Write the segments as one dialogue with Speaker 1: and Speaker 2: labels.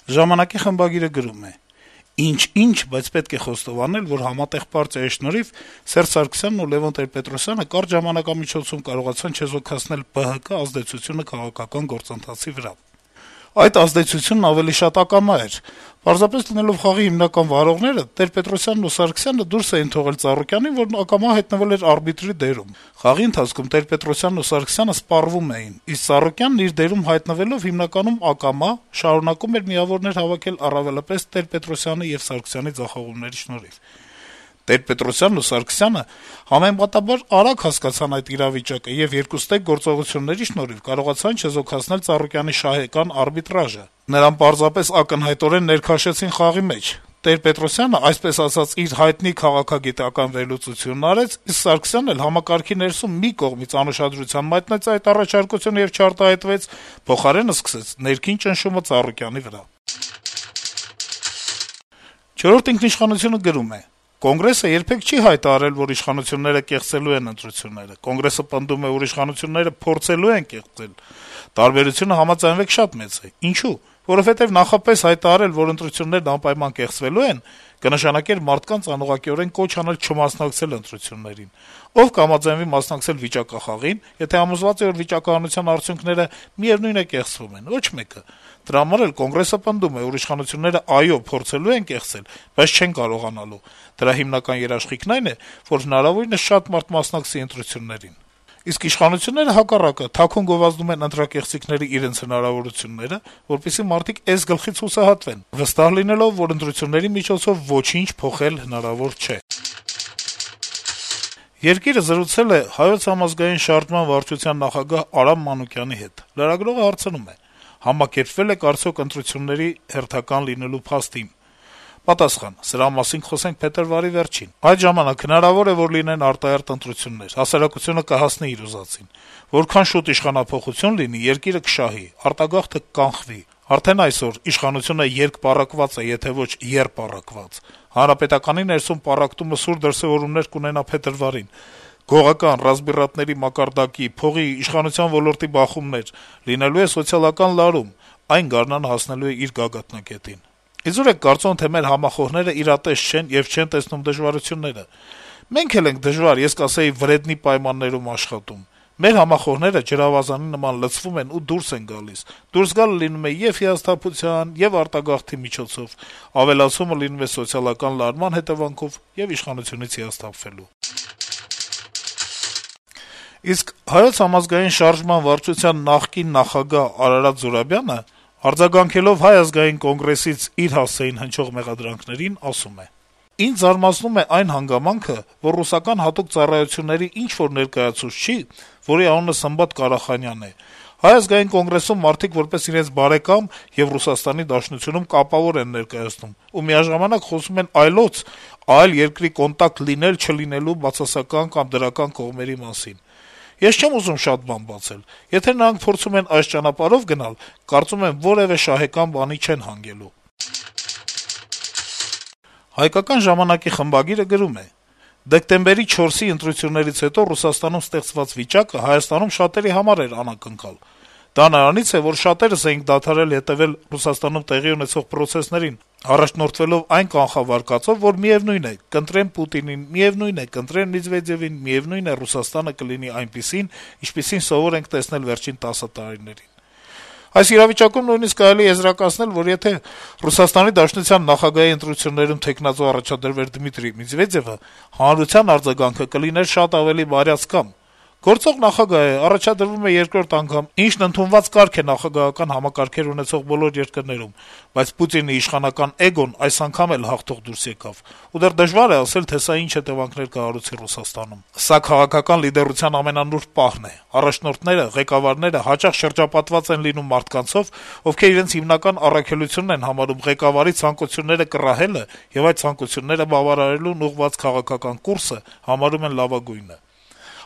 Speaker 1: Ժամանակի խմբագիրը գրում է. - «Ինչ, բայց պետք է խոստովանել, որ համատեղ պարտիայի շնորհիվ Սերժ Սարգսյանն ու Լեւոն Տեր-Պետրոսյանը կարճ ժամանակամիջոցում կարողացան չեզոքացնել ԲՀԿ ազդեցությունը քաղաքական գործընթացի վրա: Այդ ազդեցությունն ավելի շատ ակամա էր: Պարզապես լինելով խաղի հիմնական վարողները, Տեր-Պետրոսյանն ու Սարգսյանը դուրս էին թողել Ծառուկյանին, որն ակամա հայտնվել էր արբիտրի դերում: Խաղի ընթացքում Տեր-Պետրոսյանն ու Սարգսյանը սպառվում էին, իսկ Ծառուկյանն իր դերում հայտնվելով հիմնականում ակամա, շարունակում էր միավորներ հավաքել առավելապես Տեր-Պետրոսյանի եւ Սարգսյանի ձախողումների շնորհիվ: Տեր-Պետրոսյանն ու Սարգսյանը համեմատաբար արագ հասկացան այդ իրավիճակը եւ երկուստեք գործողությունների շնորհիվ կարողացան չեզոքացնել Ծառուկյանի շահեկան արբիտրաժը: Նրան պարզապես ակնհայտորեն ներքաշեցին խաղի մեջ: Տեր-Պետրոսյանը, այսպես ասած, իր հայտնի քաղաքագիտական վերլուծությունն արեց, իսկ Սարգսյանն էլ համակարգի ներսում մի կողմից անուշադրության մատնեց այդ առաջարկությունը եւ չարտահայտվեց, փոխարենը սկսեց ներքին ճնշումը Ծառուկյանի վրա»: «Չորրորդ ինքնիշխանություն»-ը գրում է. - «Կոնգրեսը երբեք չի հայտարարել, որ իշխանությունները կեղծելու են ընտրությունները: Կոնգրեսը պնդում է, որ իշխանությունները փորձելու են կեղծել: Տարբերությունը, համաձայնվեք, շատ մեծ է: Ինչո՞ւ: Որովհետեւ նախապես հայտարարել, որ ընտրություններն անպայման կեղծվելու են, կնշանակեր մարդկանց անուղղակիորեն կոչ անել չմասնակցել ընտրություններին: Ով կհամաձայնվի մասնակցել վիճակախաղին, եթե համոզված է, որ վիճակահանության արդյունքները միեւնույն է կեղծվում են: Ոչ մեկը: Դրա համար էլ Կոնգրեսը պնդում է, որ իշխանությունները, այո, փորձելու են կեղծել, բայց չեն կարողանալու: Դրա հիմնական երաշխիքն այն է, որ հնարավորինս շատ մարդ մասնակցի ընտրություններին: Իսկ իշխանությունները, հակառակը, թաքուն գովազդում են ընտրակեղծիքների իրենց հնարավորությունները, որպեսզի մարդիկ էս-գլխից հուսահատվեն, վստահ լինելով, որ ընտրությունների միջոցով ոչինչ փոխել հնարավոր չէ»: «Երկիր»-ը զրուցել է Հայոց համազգային շարժման վարչության նախագահ Արամ Մանուկյանի հետ: Լրագրողը հարցնում է. - «Համակերպվել եք արդյոք ընտրությունների հերթական լինելու փաստին»: Պատասխան. - «Սրա մասին կխոսենք փետրվարի վերջին: Այդ ժամանակ հնարավոր է, որ լինեն արտահերթ ընտրություններ: Հասարակությունը կհասնի իր ուզածին: Որքան շուտ իշխանափոխություն լինի, երկիրը կշահի, արտագաղթը կկանխվի: Արդեն այսօր իշխանությունը երկպառակված է, եթե ոչ եռպառակված: Հանրապետականի ներսում պառակտումը սուր դրսեւորումներ կունենա փետրվարին: Գողական, ռազմբիռատների մակարդակի, փողի, իշխանության ոլորտի բախումներ: Լինելու է սոցիալական լարում: Այն գարնանը հասնելու է իր գագաթնակետին: Իզուր եք կարծում, թե մեր համախոհները իրատես չեն եւ չեն տեսնում դժվարությունները: Մենք էլ ենք դժվար, ես կասեի վրեդնի պայմաններում աշխատում: Մեր համախոհները ջրավազանի նման լցվում են ու դուրս են գալիս: Դուրս գալը լինում է ե'ւ հիասթափության, ե'ւ արտագաղթի միջոցով: Ավելացումը լինում է սոցիալական լարման հետեւանքով եւ իշխանությունից հիասթափվելու»: Իսկ Հայոց համազգային շարժման վարչության նախկին նախագահ Արարատ Զուրաբյանը, արձագանքելով Հայ ազգային կոնգրեսից իր հասցեին հնչող մեղադրանքներին, ասում է. - «Ինձ զարմացնում է այն հանգամանքը, որ ռուսական հատուկ ծառայությունների ինչ-որ ներկայացուցիչ չի, որի անունը Սմբատ Կարախանյանն է, Հայ ազգային կոնգրեսում մարդիկ որպես իրենց բարեկամ եւ Ռուսաստանի Դաշնությունում կապավոր են ներկայացնում ու միաժամանակ խոսում են այլոց, այլ երկրի կոնտակտ լինել-չլինելու բացասական կամ դրական կողմերի մասին: Ես չեմ ուզում շատ բան բացել: Եթե նրանք փորձում են այս ճանապարհով գնալ, կարծում եմ, որեւէ շահեկան բանի չեն հանգելու»: «Հայկական ժամանակ»-ի խմբագիրը գրում է. - «Դեկտեմբերի 4-ի ընտրություններից հետո Ռուսաստանում ստեղծված վիճակը Հայաստանում շատերի համար էր անակնկալ: Դա նրանից է, որ շատերս էինք դադարել հետեւել Ռուսաստանում տեղի ունեցող պրոցեսներին, առաջնորդվելով այն կանխավարկածով, որ միեւնույն է, կընտրեն Պուտինին, միեւնույն է, կընտրեն Մեդվեդեւին, միեւնույն է, Ռուսաստանը կլինի այնպիսին, ինչպիսին սովոր ենք տեսնել վերջին 10 տարիներին: Այս իրավիճակում նույնիսկ կարելի է եզրակացնել, որ եթե ՌԴ նախագահի ընտրություններում թեկնածու առաջադրվեր Դմիտրի Մեդվեդեւը, հանրության արձագանքը կլիներ շատ ավելի բարյացակամ: Գործող նախագահ է, առաջադրվում է երկրորդ անգամ, ինչն ընդունված կարգ է նախագահական համակարգեր ունեցող բոլոր երկրներում, բայց Պուտինի իշխանական էգոն այս անգամ էլ հաղթող դուրս եկավ: Ու դեռ դժվար է ասել, թե սա ինչ հետեւանքներ կհարուցի Ռուսաստանում: Սա քաղաքական լիդերության ամենանուրբ պահն է: Առաջնորդները, ղեկավարները հաճախ շրջապատված են լինում մարդկանցով, ովքեր իրենց հիմնական առաքելությունն են համարում ղեկավարի ցանկությունները կռահելը եւ այդ ցանկությունները բավարարելուն ուղղված քաղաքական կուրսը համարում են լավագույնը: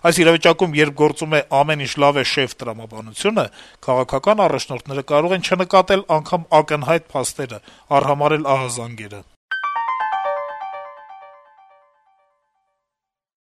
Speaker 1: Այս իրավիճակում, երբ գործում է «ամեն ինչ լավ է, շեֆ» տրամաբանությունը, քաղաքական առաջնորդները կարող են չնկատել անգամ ակնհայտ փաստերը, արհամարհել ահազանգերը: